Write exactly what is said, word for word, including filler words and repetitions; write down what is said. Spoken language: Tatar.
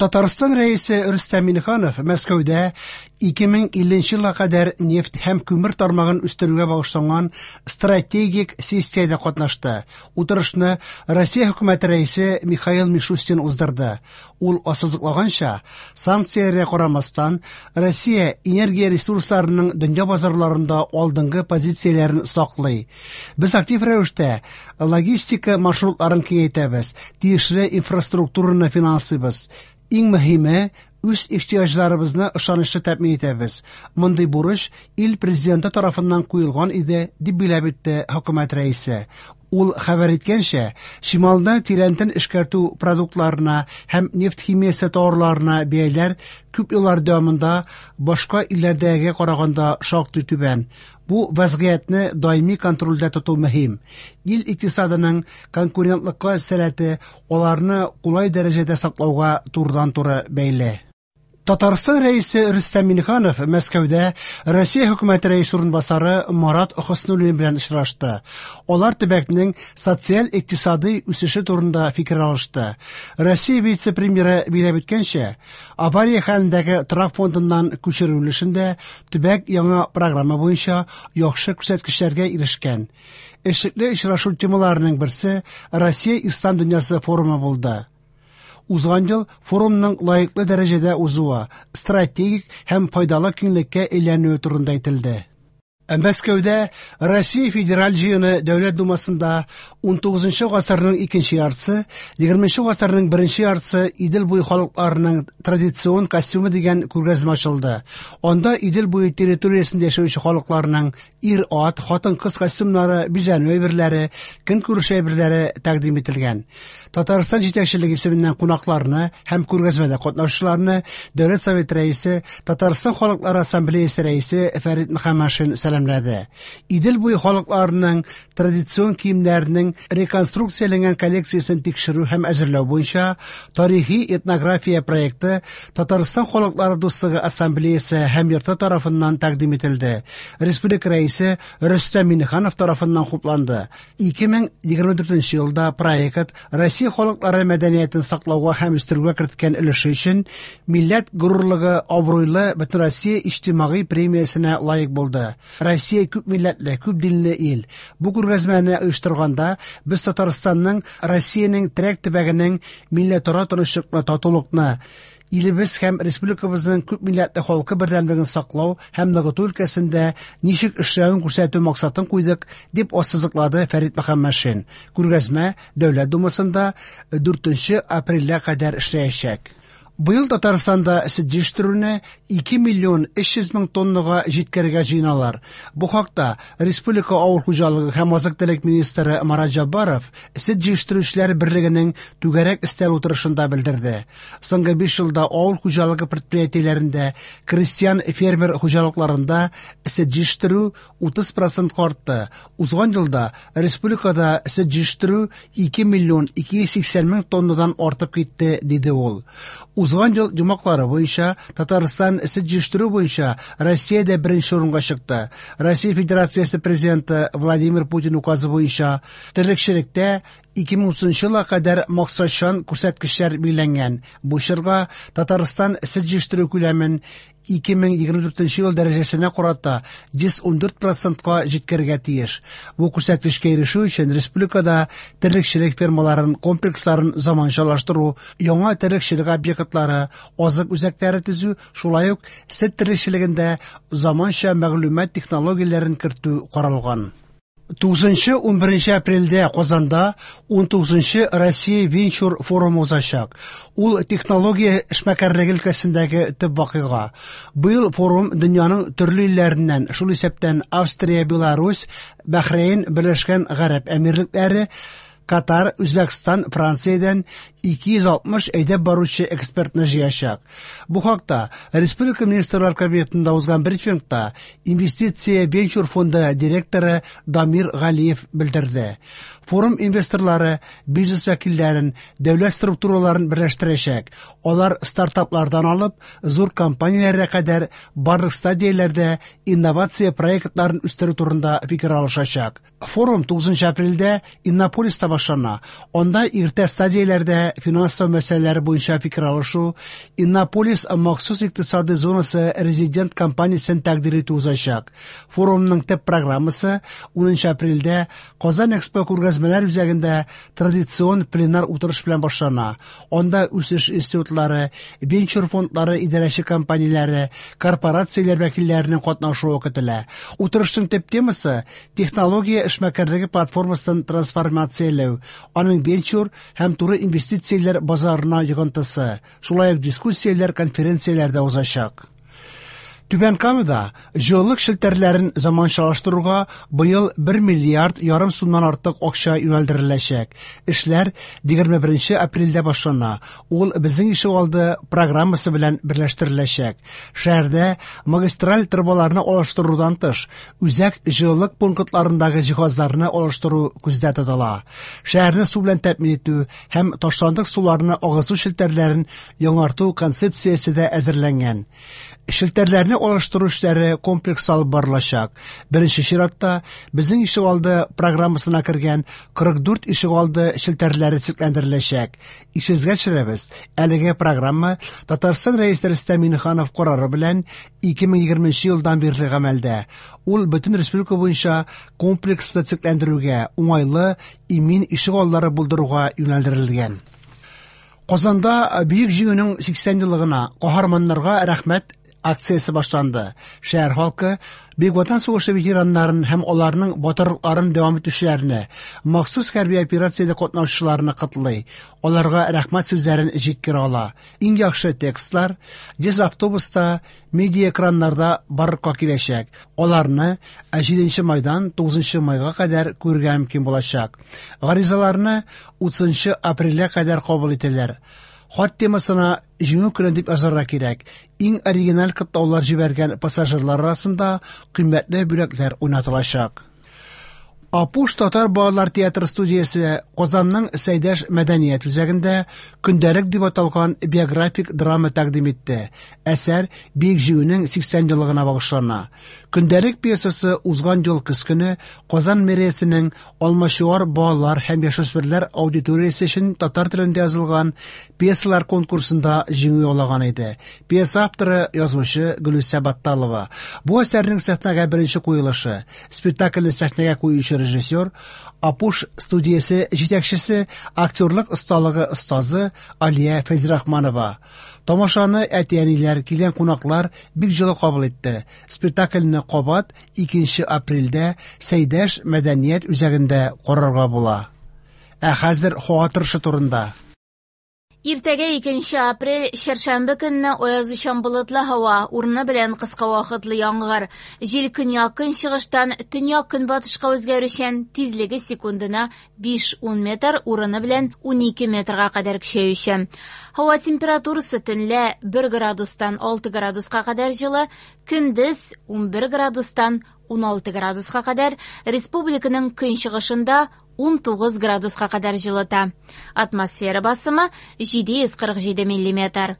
Татарстан Рәисе Рөстәм Миңнеханов Мәскәүдә ике мең илленче елга кадәр нефть һәм күмер тармагын үстерүгә багышланган стратегик сессиядә катнашты. Утырышны Россия хөкүмәте рәисе Михаил Мишустин уздырды. Ул ассызыклаганча, санкцияләргә карамастан, Россия энергия ресурсларының дөнья базарларында алдынгы позицияләрен саклый. Без актив рәвештә логистика маршрутларын киңәйтәбез, тиешле инфраструктураны финанслыйбыз. Иң мөһиме, үз ихтыяҗларыбызны ышанычлы тәэмин итәбез. Мондый бурыч ил президенты тарафыннан куелган иде, дип билгеләп үтте хөкүмәт рәисе. Ул хәбәр иткәнчә, чималны тирәнтен эшкәртү продуктларына һәм нефть химиясе товарларына бәяләр күп еллар дәвамында башка илләрдәгегә караганда шактый түбән. Бу вазгыятьне даими контрольдә тоту мөһим. Ил икътисадының конкурентлыкка сәләте аларны кулай дәрәҗәдә саклауга турыдан-туры бәйле. Татарстан Рәисе Рөстәм Миңнеханов Мәскәүдә Россия хөкүмәте рәисе урынбасары Марат Хөснуллин белән очрашты. Алар төбәкнең социаль-икътисади үсеше турында фикер алышты. Россия вице-премьеры билгеләп үткәнчә, авария хәлендәге торак фондыннан күчерү өлешендә төбәк яңа программа буенча яхшы күрсәткечләргә ирешкән. Эшлекле очрашу темаларының берсе Россия Ислам дөньясы форумы булды. Узган ел форумның лаеклы дәрәҗәдә узуы, стратегик һәм файдалы киңлеккә әйләнүе турында әйтелде. Мәскәүдә Россия Федераль җыены Дәүләт Думасында ун тугызынчы гасырның икенче яртысы, егерменче гасырның беренче яртысы Идел буе халыкларының традицион костюмы дигән күргәзмә ачылды. Анда Идел буе территориясендә яшәүче халыкларның ир-ат, хатын-кыз костюмнары, бизәнү әйберләре, көнкүреш әйберләре тәкъдим ителгән. Татарстан җитәкчелеге исеменнән кунакларны һәм күргәзмәдә катнашучыларны Дәүләт Советы рәисе, Татарстан Халыклары Ассамблеясы рәисе Фәрит Мөхәммәтшин сәламләде. Идел буе халыкларының традицион киемнәренең реконструкцияләнгән коллекциясен тикшерү һәм әзерләү буенча тарихи этнография проекты Татарстан Халыклары Дуслыгы Ассамблеясы һәм йорты тарафыннан тәкъдим ителде. Республика рәисе Рөстәм Миңнеханов тарафыннан хупланды. ике мең егерме дүртенче елда проект Россия халыклары мәдәниятен саклауга һәм үстерүгә керткән өлеше өчен Милләт горурлыгы абруйлы Бөтенроссия иҗтимагый премиясенә лаек булды. Россия күп милләтле, күп динле ил. Бу күргәзмәне оештырганда без Татарстанның Россиянең терәк төбәгенең милләтара тынычлыкны, татулыкны, илебез һәм республикабызның күп милләтле халкы бердәмлеген саклау һәм ныгыту өлкәсендә ничек эшләвен күрсәтү максатын куйдык, дип ассызыклады Фәрит Мөхәммәтшин. Күргәзмә Дәүләт Думасында дүртенче апрельгә кадәр эшләячәк. Быел Татарстанда сөт җитештерүне ике миллион өч йөз мең тоннага җиткерергә җыеналар. Бу хакта Республика авыл хуҗалыгы һәм азык-төлек министры Марат Җаббаров сөт җитештерүчеләр берлегенең түгәрәк өстәл утырышында белдерде. Соңгы биш елда авыл хуҗалыгы предприятиеләрендә, крестьян фермер хуҗалыкларында сөт җитештерү утыз процентка артты. Узган елда республикада сөт җитештерү ике миллион ике йөз сиксән мең тоннадан артып китте, диде ул. Узган ел йомгаклары буенча Татарстан сөт җитештерү буенча Россиядә беренче урынга чыкты. Россия Федерациясе президенты Владимир Путин указы буенча терлекчелектә ике мең утызынчы елга кадәр максатчан күрсәткечләр билгеләнгән. Бу чорга Татарстан сөт җитештерү күләмен ике мең егерме дүртенче ел дәрәҗәсенә карата йөз ун дүрт процентка җиткерергә тиеш. Бу күрсәткечкә ирешү өчен республикада терлекчелек фермаларын, комплексларын заманчалаштыру, яңа терлекчелек объектлары, азык үзәкләре төзү, шулай ук сөт терлекчелегендә заманча мәгълүмат технологияләрен кертү каралган. Тугызынчы ун беренче апрельдә Казанда ун тугызынчы Россия венчур форумы узачак. Ул технология эшмәкәрлеге өлкәсендәге төп вакыйга. Быел форум дөньяның төрле илләреннән, шул исәптән Австрия, Беларусь, Бәхрәйн, Берләшкән Гарәп Әмирлекләре, Катар, Үзбәкстан, Франциядән ике йөз алтмыш әйдәп баручы экспертны җыячак. Бу хакта Республика Министрлар Кабинетында узган брифингта Инвестиция венчур фонды директоры Дамир Галиев белдерде. Форум инвесторлары бизнес вәкилләрен, дәүләт структураларын берләштерәчәк. Алар стартаплардан алып зур компанияләргә кадәр барлык стадияләрдә инновация проектларын үстерү турында фикер алышачак. Форум тугызынчы апрельдә Иннополиста башлана. Анда иртә стадияләрдә финанслау мәсьәләләре буенча фикер алышу, Иннополис махсус икътисади зонасы резидент компаниясен тәкъдир итү узачак. Форумның төп программасы унынчы апрельдә Казан Экспо күргәзмәләр үзәгендә традицион пленар утырыш белән башлана. Анда үсеш институтлары, венчур фондлары идарәче компанияләре, корпорацияләр вәкилләренең катнашуы көтелә. Утырышның төп темасы технология эшмәкәрлеге платформасын трансформацияләү, аның венчур һәм туры инвестицияләр базарына йогынтысы. Шулай ук дискуссияләр, конференцияләр дә узачак. Түбән Камада җылылык челтәрләрен заманчалаштыруга быел бер миллиард ярым сумнан артык акча юнәлдереләчәк. Эшләр егерме беренче апрельдә башлана. Ул Безнең ишегалды программасы белән берләштереләчәк. Шәһәрдә магистраль торбаларны алыштырудан тыш, үзәк җылылык пунктларындагы җиһазларны алыштыру күздә тотыла. Шәһәрне су белән тәэмин итү һәм ташландык суларны агызу челтәрләрен яңарту концепциясе дә әзерләнгән. Челтәрләрне алыштыру эшләре комплекс алып барылачак. Беренче чиратта Безнең ишегалды программасына кергән кырык дүрт ишегалды челтәрләре төзекләндереләчәк. Исегезгә төшерәбез, әлеге программа Татарстан Рәисе Рөстәм Миңнеханов карары белән ике мең егерменче елдан бирле гамәлдә. Ул бөтен республика буенча комплекслы төзекләндерүгә, уңайлы, имин ишегаллары булдыруга юнәлдерелгән. Казанда Бөек Җиңүнең сиксән еллыгына каһарманнарга рәхмәт акциясе башланды. Шәһәр халкы Бөек Ватан сугышы ветераннарын һәм аларның батырлыкларын дәвам итүчеләрне, махсус хәрби операциядә катнашучыларны котлый. Аларга рәхмәт сүзләрен җиткерә ала. Иң яхшы текстлар йөз автобуста, медиа экраннарда барлыкка киләчәк. Аларны җиденче майдан тугызынчы майга кадәр күрергә мөмкин булачак. Гаризаларны утызынчы апрельгә кадәр кабул итәләр. Хат темасына Җиңү көне дип язарга кирәк. Иң оригиналь котлаулар җибәргән пассажирлар арасында кыйммәтле бүләкләр уйнатылачак. Апуш татар балалар театры студиясе Казанның Сәйдәш мәдәният үзәгендә Көндәлек дип аталган биографик драма тәкъдим итте. Әсәр Бөек Җиңүнең сиксән еллыгына багышлана. Көндәлек пьесасы узган ел көз көне Казан мэриясенең Алмачуар балалар һәм яшүсмерләр аудиториясе өчен татар телендә язылган пьесалар конкурсында җиңү яулаган иде. Пьеса авторы язучы Гөлүсә Батталова. Бу әсәрнең сәхнәгә беренче куелышы. Спектакльне сәхнәгә куючы режиссер, Апуш студиясе җитәкчесе, актерлык осталыгы остазы Алия Фәйзрахманова. Тамашаны әти-әниләр, килгән кунаклар бик җылы кабул итте. Спектакльне кабат икенче апрельдә Сәйдәш мәдәният үзәгендә карарга була. Ә хәзер һава торышы турында. Иртәгә икенче апрель чәршәмбе көнне аязучан болытлы һава, урыны белән кыска вакытлы яңгыр. Җил көньяк-көнчыгыштан төньяк-көнбатышка үзгәрүчән, тизлеге секундына биш-ун метр, урыны белән унике метрга кадәр көчәючән. Һава температурасы төнлә бер градустан алты градуска кадәр җылы, көндез унбер градустан уналты градуска кадәр, республиканың көнчыгышында ун тугыз градуска кадәр җылыта. Атмосфера басымы җиде йөз кырык җиде миллиметр.